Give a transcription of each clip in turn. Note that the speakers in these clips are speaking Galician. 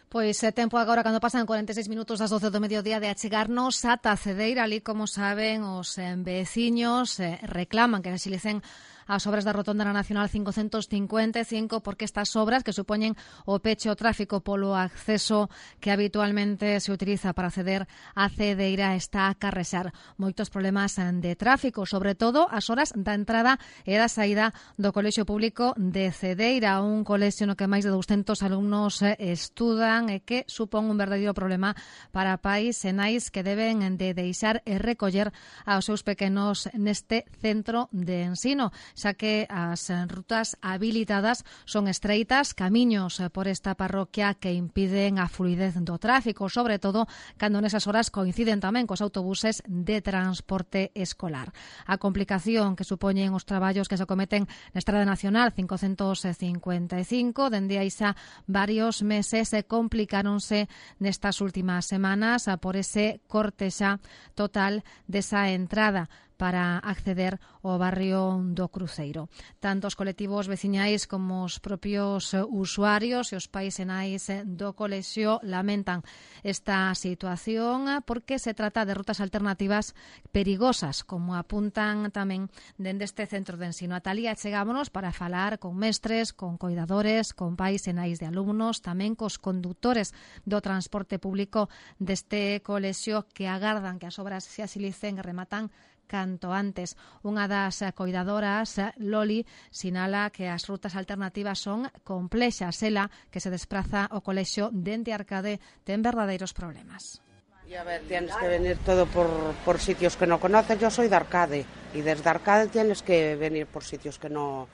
Pois tempo agora cando pasan 46 minutos das 12 do mediodía de achegarnos ata Cedeira, ali como saben os veciños reclaman que resilicen as obras da rotonda na Nacional 555 porque estas obras que supoñen o peche o tráfico polo acceso que habitualmente se utiliza para acceder a Cedeira está a carrexar moitos problemas de tráfico, sobre todo as horas da entrada e da saída do Colexio Público de Cedeira, un colexio no que máis de 200 alumnos estudan e que supón un verdadeiro problema para pais e nais que deben de deixar e recoller aos seus pequenos neste centro de ensino, xa que as rutas habilitadas son estreitas, camiños por esta parroquia que impiden a fluidez do tráfico, sobre todo cando nesas horas coinciden tamén cos autobuses de transporte escolar. A complicación que supoñen os traballos que se cometen na Estrada Nacional 555, dende aí xa varios meses complicáronse nestas últimas semanas por ese corte xa total desa entrada para acceder ao barrio do Cruceiro. Tanto os colectivos veciñais como os propios usuarios e os pais e nais do colexio lamentan esta situación porque se trata de rutas alternativas perigosas, como apuntan tamén dende este centro de ensino. A Talía chegámonos para falar con mestres, con coidadores, con pais e nais de alumnos, tamén cos condutores do transporte público deste colexio que agardan que as obras se asilicen e rematan canto antes. Unha das coidadoras, Loli, sinala que as rutas alternativas son complexas. Ela, que se despraza ao colexio dende Arcade, ten verdadeiros problemas. Y a ver, tienes que venir todo por sitios que no conoces. Yo soy de Arcade y desde Arcade tienes que venir por sitios que no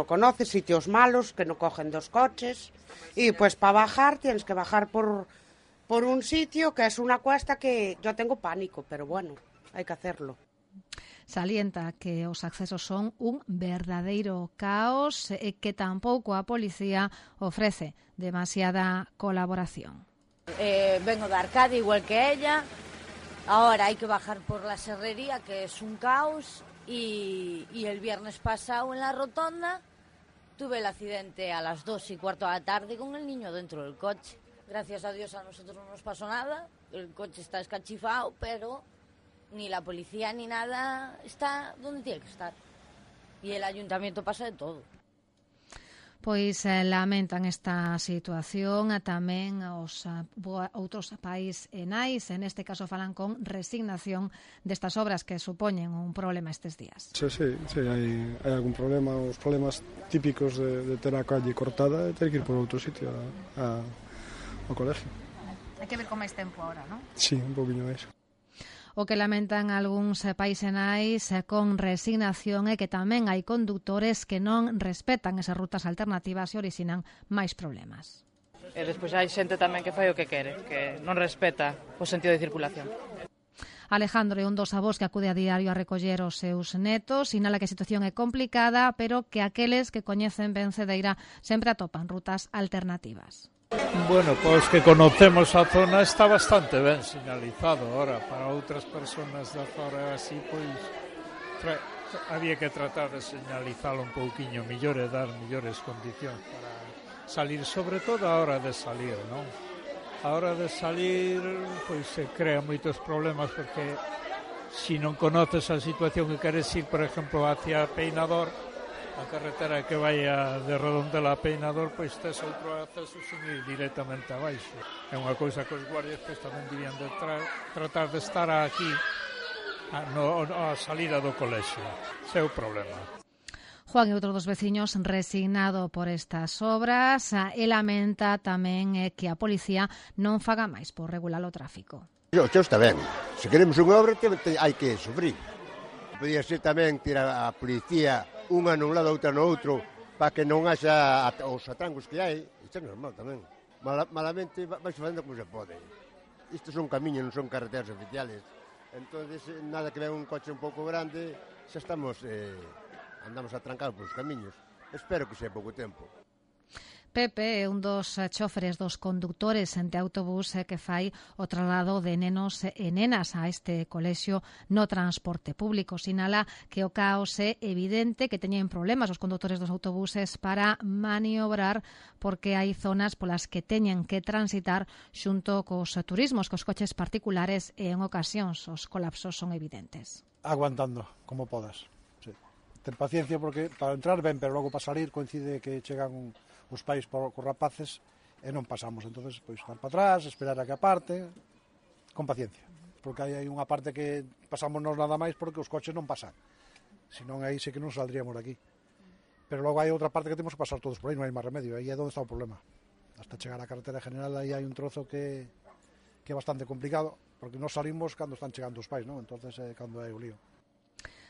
conoces, sitios malos, que no cogen dos coches. Y pues para bajar tienes que bajar por un sitio que es una cuesta que yo tengo pánico, pero bueno, hay que hacerlo. Salienta que os accesos son un verdadeiro caos e que tampouco a policía ofrece demasiada colaboración. Vengo de Arcade igual que ella, ahora hay que bajar por la serrería que es un caos y el viernes pasado en la rotonda tuve el accidente a las 2:15 de la tarde con el niño dentro del coche. Gracias a Dios a nosotros no nos pasó nada, el coche está escachifado, pero ni la policía ni nada está donde tiene que estar. Y el ayuntamiento pasa de todo. Pois lamentan esta situación tamén os outros pais e nais, en este caso falan con resignación destas obras que supoñen un problema estes días. Sí, hai algún problema, os problemas típicos de ter a calle cortada e ter que ir por outro sitio ao colegio. Hai que ver con máis tempo agora, non? Sí, un poquinho máis. O que lamentan algúns pais e nais con resignación é que tamén hai condutores que non respetan esas rutas alternativas e orixinan máis problemas. E despois hai xente tamén que fai o que quere, que non respeta o sentido de circulación. Alejandro é un dos avós que acude a diario a recoller os seus netos, sinala que a situación é complicada, pero que aqueles que coñecen ben Cedeira sempre atopan rutas alternativas. Bueno, pois que conocemos a zona está bastante ben sinalizado. Ahora, para outras persoas da zona así, pois había que tratar de señalizalo un pouquiño mellor e dar mellores condicións para salir, sobre todo a hora de salir, non? A hora de salir, pois se crean moitos problemas porque se non conoces a situación que queres ir, por exemplo, hacia Peinador, a carretera que vai de Redondela a Peinador, pois tes outro acceso sin ir directamente abaixo. É unha cousa que os guardias pois tamén debían de tratar de estar aquí a salida do colexio. Ese é o problema. Juan é outro dos veciños resignado por estas obras e lamenta tamén que a policía non faga máis por regular o tráfico. Xa está ben. Se queremos unha obra hai que sufrir. Podía ser tamén tirar a policía unha nun lado, outra no outro, para que non haxa os atrancos que hai. Isto é normal tamén. Malamente vai facendo como se pode. Isto son camiños, non son carreteras oficiales. Entón, nada que ven un coche un pouco grande, xa estamos, andamos atrancados polos camiños. Espero que sea pouco tempo. Pepe é un dos choferes dos condutores de autobús que fai o traslado de nenos e nenas a este colexio no transporte público. Sinala que o caos é evidente, que teñen problemas os condutores dos autobuses para maniobrar porque hai zonas polas que teñen que transitar xunto cos turismos, cos coches particulares, e en ocasións os colapsos son evidentes. Aguantando, como podas. Sí. Ten paciencia porque para entrar ben, pero logo para salir coincide que chegan os pais cos rapaces e non pasamos. Entonces, pois, dar para atrás, esperar a que aparte, con paciencia. Porque hai unha parte que pasamos nós nada máis porque os coches non pasan. Senón aí sí que non saldríamos de aquí. Pero logo hai outra parte que temos que pasar todos por aí, non hai máis remedio. Aí é onde está o problema. Hasta chegar á carretera general aí hai un trozo que é bastante complicado, porque nós salimos cando están chegando os pais, non? Entonces é cando hai o lío.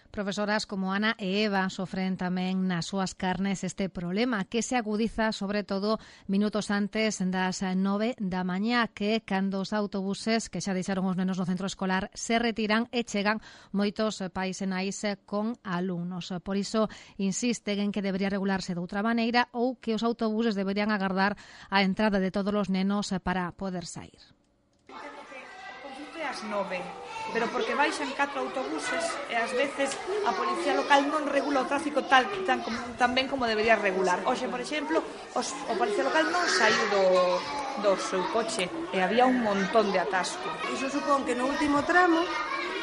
Profesoras como Ana e Eva sofren tamén nas súas carnes este problema, que se agudiza sobre todo minutos antes das 9 da mañá, que cando os autobuses que xa deixaron os nenos no centro escolar se retiran e chegan moitos pais e nais con alumnos. Por iso insisten en que debería regularse de outra maneira ou que os autobuses deberían agardar a entrada de todos os nenos para poder sair. Ás 9, pero porque baixan 4 autobuses e ás veces a policía local non regula o tráfico tan ben como debería regular. Hoxe, por exemplo, o policía local non saiu do seu coche e había un montón de atasco. Iso supón que no último tramo,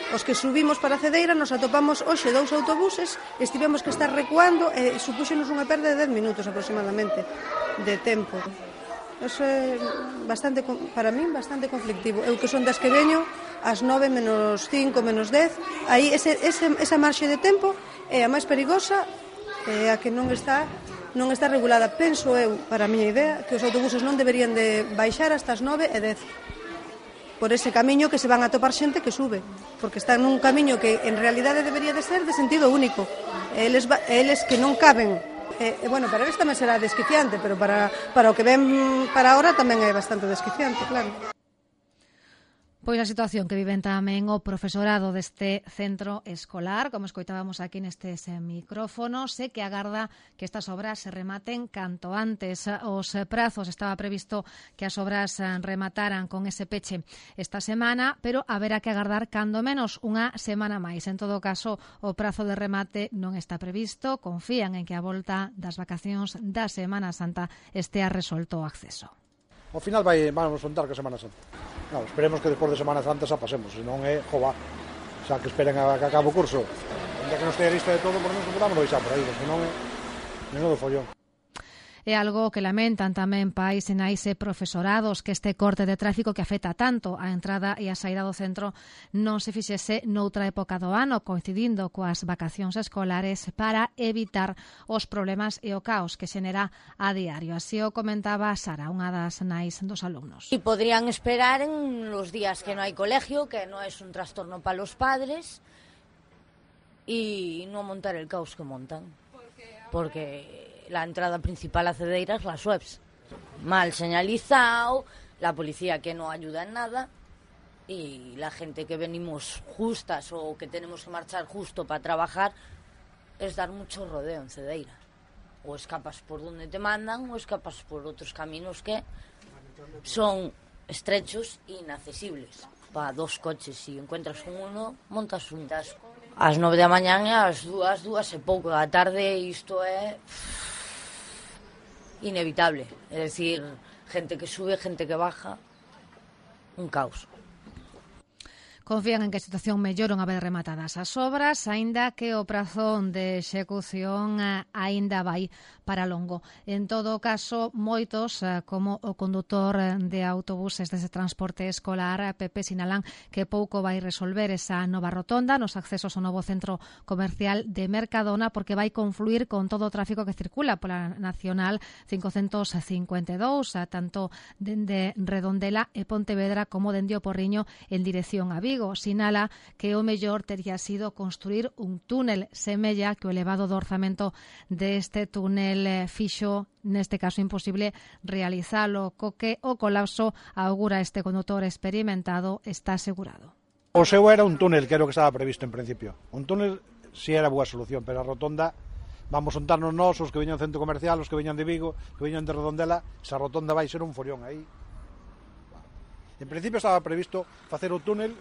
os que subimos para Cedeira, nos atopamos hoxe 2 autobuses, estivemos que estar recuando e supúxenos unha perda de 10 minutos aproximadamente de tempo. Eso é bastante, para min, bastante conflictivo. Eu que son das que veño ás 9 menos 5, menos 10, aí esa marxe de tempo é a máis perigosa, é a que non está regulada. Penso eu, para a miña idea, que os autobuses non deberían de baixar hasta as 9 e 10 por ese camiño que se van a topar xente que sube, porque están nun camiño que en realidade debería de ser de sentido único. Eles que non caben. Bueno, para eles tamén será desquiciante, pero para o que ven para ahora tamén é bastante desquiciante, claro. Pois a situación que viven tamén o profesorado deste centro escolar, como escoitábamos aquí nestes micrófonos, e que agarda que estas obras se rematen canto antes. Os prazos, estaba previsto que as obras remataran con ese peche esta semana, pero haberá que agardar cando menos unha semana máis. En todo caso, o prazo de remate non está previsto. Confían en que a volta das vacacións da Semana Santa estea resolto o acceso. Ao final vamos contar que Semana Santa. Claro, esperemos que despois de Semana Santa xa pasemos, senón é jova. Xa que esperen a que acabe o curso. Onde que non estea lista de todo, por menos podamos deixar por aí, senón é menudo follón. É algo que lamentan tamén pais e nais e profesorados, que este corte de tráfico que afecta tanto a entrada e a saída do centro non se fixese noutra época do ano, coincidindo coas vacacións escolares, para evitar os problemas e o caos que xenera a diario. Así o comentaba Sara, unha das nais dos alumnos. Y podrían esperar en los días que no hay colegio, que no es un trastorno para los padres, y no montar el caos que montan. Porque la entrada principal a Cedeira es las webs. Mal señalizado, la policía que no ayuda en nada y la gente que venimos justas o que tenemos que marchar justo para trabajar es dar mucho rodeo en Cedeira. O escapas por donde te mandan o escapas por otros caminos que son estrechos e inaccesibles. Para 2 coches, si encuentras con uno, montas un tasco. Ás 9 da mañá e ás 2 e pouco da tarde, isto é inevitable. É dicir, gente que sube, gente que baja, un caos. Confían en que a situación mellore unha vez rematadas as obras, aínda que o prazo de execución aínda vai para longo. En todo caso, moitos, como o condutor de autobuses dese transporte escolar, Pepe, sinalan que pouco vai resolver esa nova rotonda nos accesos ao novo centro comercial de Mercadona, porque vai confluir con todo o tráfico que circula pola Nacional 552, tanto dende Redondela e Pontevedra como dende o Porriño en dirección a Vigo. Sinala que o mellor tería sido construir un túnel. Semella que o elevado do orzamento deste túnel fixo, neste caso imposible, realizalo, co que o colapso, augura este condutor experimentado, está asegurado. O seu era un túnel, que era o que estaba previsto en principio. Un túnel si era boa solución, pero a rotonda vamos xuntarnos nós, os que veñan do centro comercial, os que veñan de Vigo, que veñan de Redondela, esa rotonda vai ser un forión aí. En principio estaba previsto facer o túnel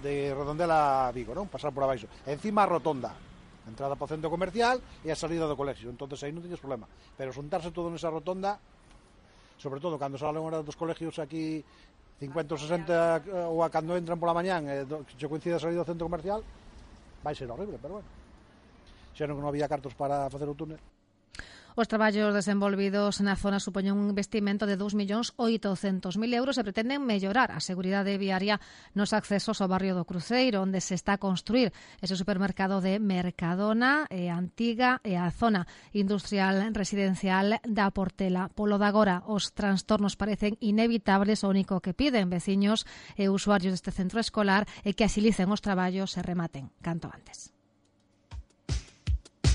de Redondela a Vigo, non? Pasar por abaixo. Encima a rotonda, a entrada para o centro comercial e a salida do colexio. Entonces aí non tiñes problema. Pero xuntarse todo nesa rotonda, sobre todo cando salen horas dos colegios aquí 50 ou 60 ou a cando entran pola mañán se coincide a salida do centro comercial, vai ser horrible, pero bueno. Xa non había cartos para facer o túnel. Os traballos desenvolvidos na zona supoñen un investimento de 2.800.000 euros e pretenden mellorar a seguridade viaria nos accesos ao barrio do Cruceiro, onde se está a construir ese supermercado de Mercadona e Antiga e a zona industrial residencial da Portela. Polo de agora, os trastornos parecen inevitables, o único que piden veciños e usuarios deste centro escolar é que axilicen os traballos e rematen canto antes.